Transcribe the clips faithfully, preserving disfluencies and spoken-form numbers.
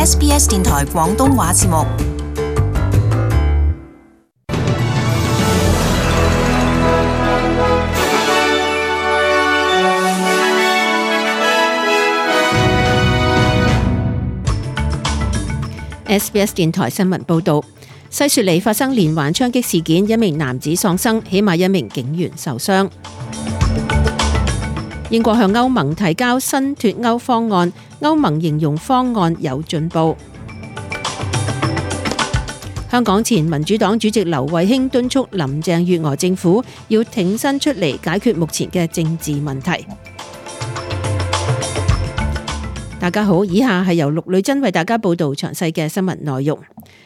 S B S 電台廣東話節目。S B S 電台新聞報道，西雪梨發生連環槍擊事件，一名男子喪生，起碼一名警員受傷。英國向歐盟提交新脫歐方案，歐盟形容方案有進步。香港前民主黨主席劉慧卿敦促林鄭月娥政府要挺身出嚟解決目前嘅政治問題。大家好，以下係由陸女珍為大家報道詳細嘅新聞內容。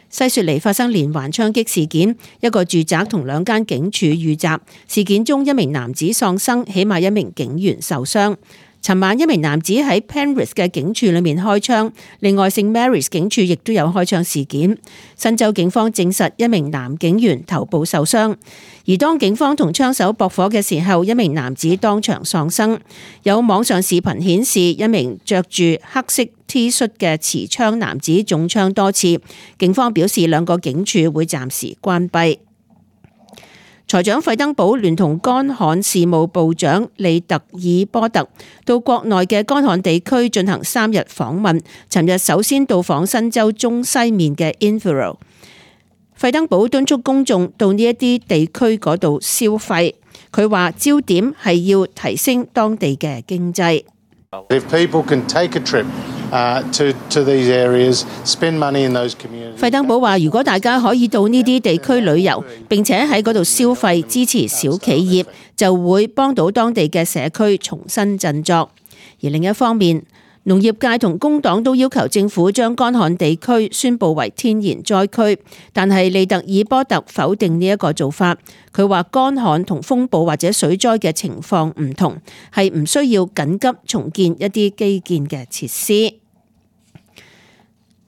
西雪梨發生連環槍擊事件，一個住宅同兩間警署遇襲，事件中一名男子喪生，起碼一名警員受傷。尋晚一名男子喺 Penrith 嘅警署裏面開槍，另外聖 Mary's 警署亦都有開槍事件。新州警方證實一名男警員頭部受傷，而當警方同槍手駁火嘅時候，一名男子當場喪生。有網上視頻顯示一名着住黑色 T 恤嘅持槍男子中槍多次，警方表示兩個警署會暫時關閉。財長費登堡聯同乾旱事務部長利特爾波特到國內嘅乾旱地區進行三日訪問。尋日首先到訪新州中西面嘅 Inverell。費登堡敦促公眾到呢一啲地區嗰度消費。佢話焦點係要提升當地嘅經濟。If people can take a trip Uh, to, to these areas, spend money in those communities. 費登堡話：如果大家可以到呢啲地區旅遊，並且喺嗰度消費，支持小企業，就會幫到當地嘅社區重新振作。而另一方面，農業界同工黨都要求政府將乾旱地區宣佈為天然災區，但係利特爾波特否定呢一個做法。佢話乾旱同風暴或者水災嘅情況唔同，係唔需要緊急重建一啲基建嘅設施。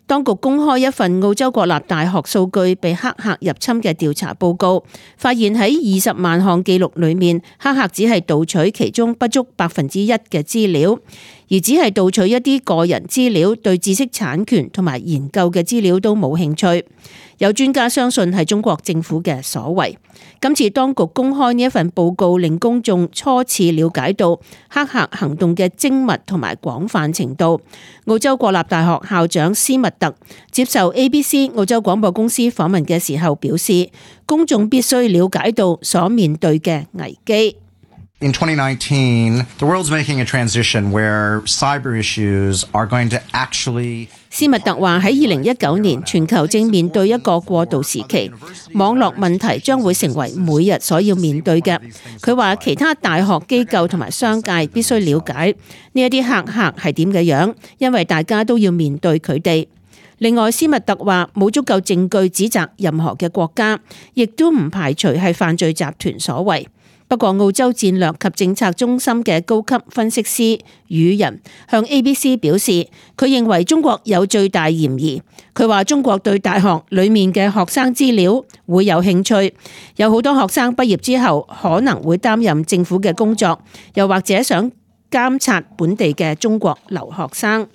當局公開一份澳洲國立大學數據被黑客入侵嘅調查報告，發現喺二十萬項記錄裏面，黑客只係盜取其中不足百分之一嘅資料，而只係盜取一啲個人資料，對知識產權同埋研究嘅資料都冇興趣。有專家相信係中國政府嘅所為。今次當局公開呢一份報告，令公眾初次了解到黑客行動嘅精密同埋廣泛程度。澳洲國立大學校長斯密特接受 A B C 澳洲廣播公司訪問嘅時候表示，公眾必須了解到所面對嘅危機。In twenty nineteen, the world's making a transition where cyber issues are going to actually... 斯密特話喺二零一九年，全球正面對一個過渡時期，網絡問題將會成為每日所要面對嘅。佢話其他大學機構同埋商界必須了解呢一啲黑客係點嘅樣，因為大家都要面對佢哋。另外，斯密特話冇足夠證據指責任何嘅國家，亦都唔排除係犯罪集團所為。不過，澳洲戰略及政策中心嘅高級分析師宇人向 A B C 表示，佢認為中國有最大嫌疑。佢話中國對大學裡面嘅學生資料會有興趣，有好多學生畢業之後可能會擔任政府嘅工作，又或者想監察本地嘅中國留學生。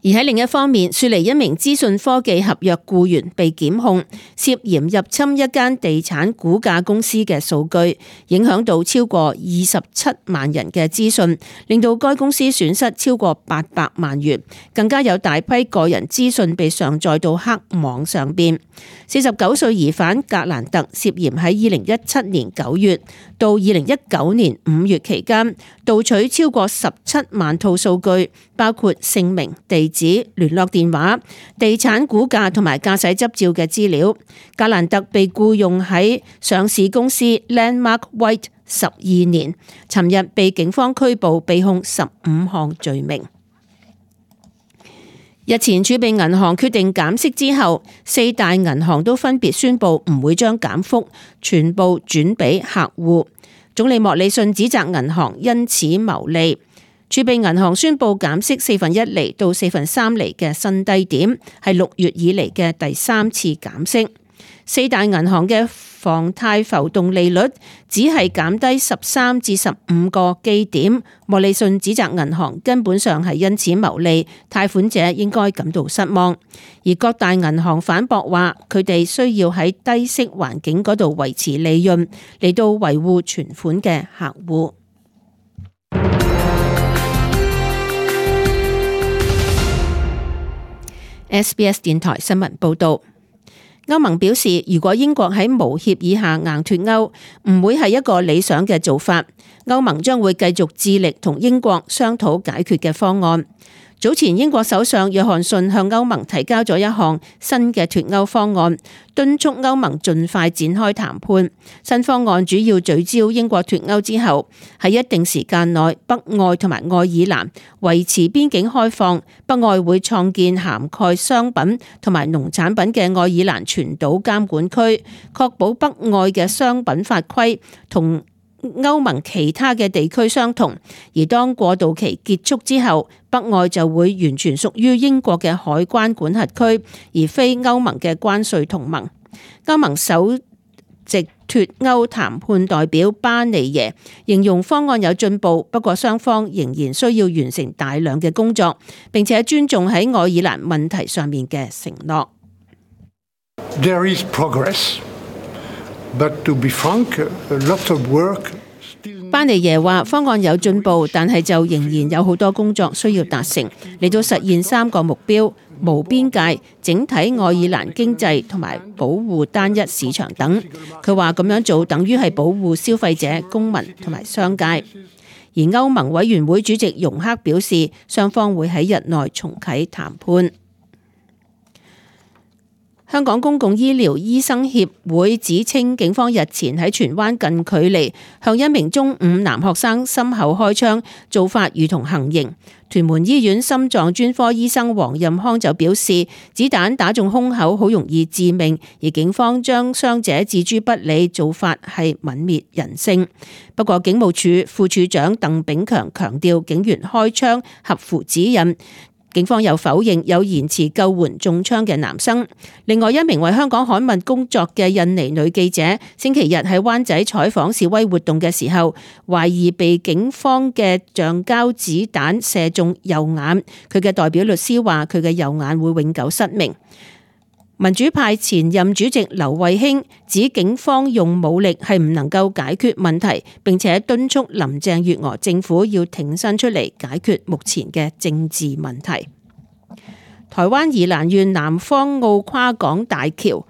而喺另一方面，雪梨一名資訊科技合約僱員被檢控，涉嫌入侵一間地產估價公司嘅數據，影響到超過二十七萬人嘅資訊，令到該公司損失超過八百萬元，更加有大批個人資訊被上載到黑網上邊。四十九歲疑犯格蘭特涉嫌喺二零一七年九月到二零一九年五月期間，盜取超過十七萬套數據，包括姓名、地址、聯絡電話、地產估價同埋駕駛執照嘅資料。格蘭特被僱用喺上市公司 Landmark White 十二年，尋日被警方拘捕，被控十五項罪名。日前儲備銀行決定減息之後，四大銀行都分別宣布唔會將減幅全部轉俾客戶。總理莫里遜指責銀行因此牟利。儲備銀行宣布減息四分一厘到四分三厘嘅新低點，係六月以嚟嘅第三次減息。四大銀行嘅房貸浮動利率只係減低十三至十五個基點。莫里遜指責銀行根本上係因此牟利，貸款者應該感到失望。而各大銀行反駁話，佢哋需要喺低息環境嗰度維持利潤，嚟到維護存款嘅客戶。S B S 電台新聞報道。歐盟表示，如果英國喺無協議下硬脫歐，唔會係一個理想嘅做法。歐盟將會繼續致力同英國商討解決嘅方案。早前英國首相約翰遜向歐盟提交咗一項新嘅脫歐方案，敦促歐盟盡快展開談判。新方案主要聚焦英國脫歐之後，喺一定時間內北愛同埋愛爾蘭維持邊境開放，北愛會創建涵蓋商品同埋農產品嘅愛爾蘭全島監管區，確保北愛嘅商品法規同歐盟其他嘅地區相同，而當過渡期結束之後，北愛就會完全屬於英國嘅海關管轄區，而非歐盟嘅關稅同盟。歐盟首席脫歐談判代表巴尼耶形容方案有進步，不過雙方仍然需要完成大量嘅工作，並且尊重喺愛爾蘭問題上面嘅承諾。There is progress. But to be frank, a lot of work. 巴尼耶話方案有進步，但係就仍然有好多工作需要達成，嚟到實現三個目標：無邊界、整體愛爾蘭經濟同埋保護單一市場等。佢話咁樣做等於係保護消費者、公民同埋商界。而歐盟委員會主席容克表示，雙方會喺日內重啟談判。香港公共醫療醫生協會指稱，警方日前喺荃灣近距離向一名中五男學生心口開槍，做法如同行刑。屯門醫院心臟專科醫生黃任康就表示，子彈打中胸口好容易致命，而警方將傷者置諸不理，做法係泯滅人性。不過警務處副處長鄧炳強強調，警員開槍合乎指引。警方又否認有延遲救援中槍嘅男生。另外一名為香港刊物工作嘅印尼女記者，星期日喺灣仔採訪示威活動嘅時候，懷疑被警方嘅橡膠子彈射中右眼。佢嘅代表律師話，佢嘅右眼會永久失明。民主派前任主席劉慧卿指警方用武力係唔能夠解決問題，並且敦促林鄭月娥政府要挺身出嚟解決目前嘅政治問題。台灣宜蘭縣南方澳跨港大橋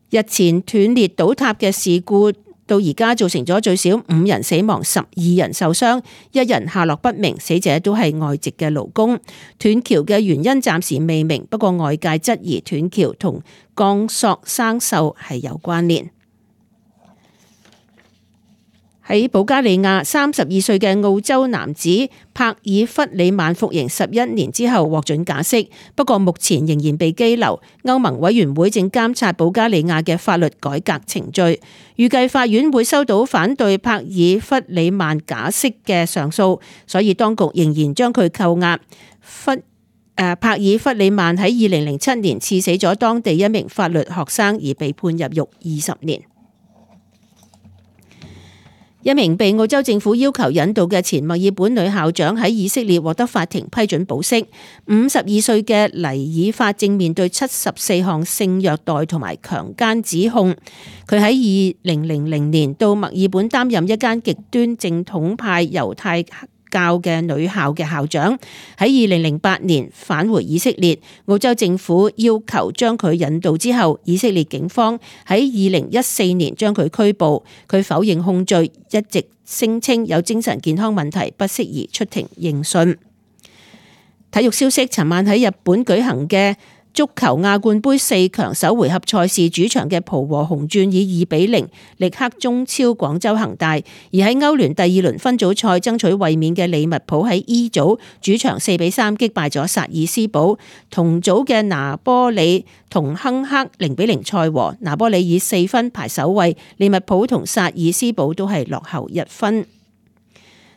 日前斷裂倒塌嘅事故，到而家造成咗最少五人死亡，十二人受傷，一人下落不明，死者都係外籍嘅勞工。斷橋嘅原因暫時未明，不過外界質疑斷橋同鋼索生鏽係有關聯。喺保加利亞，三十二歲嘅澳洲男子帕爾弗里曼服刑十一年之後獲准假釋，不過目前仍然被羈留。歐盟委員會正監察保加利亞嘅法律改革程序，預計法院會收到反對帕爾弗里曼假釋嘅上訴，所以當局仍然將佢扣押。弗誒帕爾弗里曼喺二零零七年刺死咗當地一名法律學生，而被判入獄二十年。一名被澳洲政府要求引渡嘅前墨爾本女校長喺以色列獲得法庭批准保釋。五十二歲嘅黎爾法正面對七十四項性虐待同埋強姦指控。佢喺二零零零年到墨爾本擔任一間極端正統派猶太教嘅女校嘅校長，喺二零零八年返回以色列，澳洲政府要求將佢引渡之後，以色列警方喺二零一四年將佢拘捕，佢否認控罪，一直聲稱有精神健康問題，不適宜出庭應訊。體育消息，尋晚喺日本舉行嘅足球亞冠盃四強首回合賽事，主場嘅浦和紅鑽以二比零力克中超廣州恒大，而喺歐聯第二輪分組賽爭取衛冕嘅利物浦喺 E 組主場四比三擊敗咗薩爾斯堡，同組嘅拿波里同亨克零比零賽和，拿波里以四分排首位，利物浦同薩爾斯堡都係落後一分。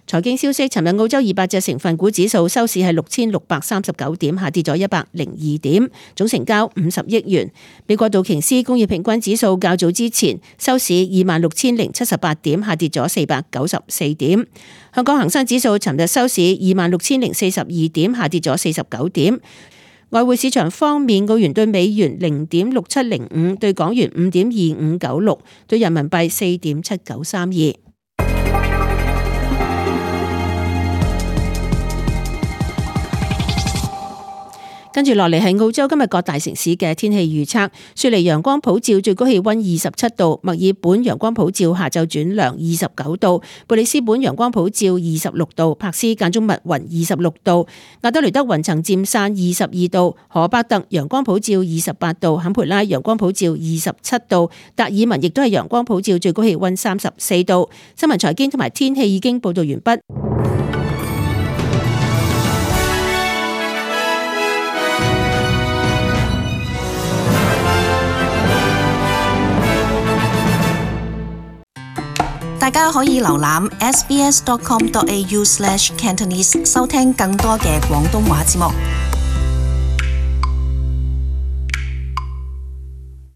財經消息，尋日澳洲二百隻成分股指數收市係六千六百三十九點，下跌咗一百零二點，總成交五十億元。美國道瓊斯工業平均指數較早之前收市二萬六千零七十八點，下跌咗四百九十四點。香港恒生指數尋日收市二萬六千零四十二點，下跌咗四十九點。外匯市場方面，澳元對美元零點六七零五，對港元五點二五九六，對人民幣四點七九三二。跟住落嚟係澳洲今日各大城市嘅天氣預測。雪梨陽光普照，最高氣溫二十七度；墨爾本陽光普照，下晝轉涼，二十九度；布里斯本陽光普照，二十六度；柏斯間中密雲，二十六度；亞德雷德雲層漸散，二十二度；荷伯特陽光普照，二十八度；坎培拉陽光普照，二十七度；達爾文亦都係陽光普照，最高氣溫三十四度。新聞財經同埋天氣已經報道完畢。大家可以瀏覽 s b s dot com dot a u slash cantonese 收聽更多嘅廣東話節目。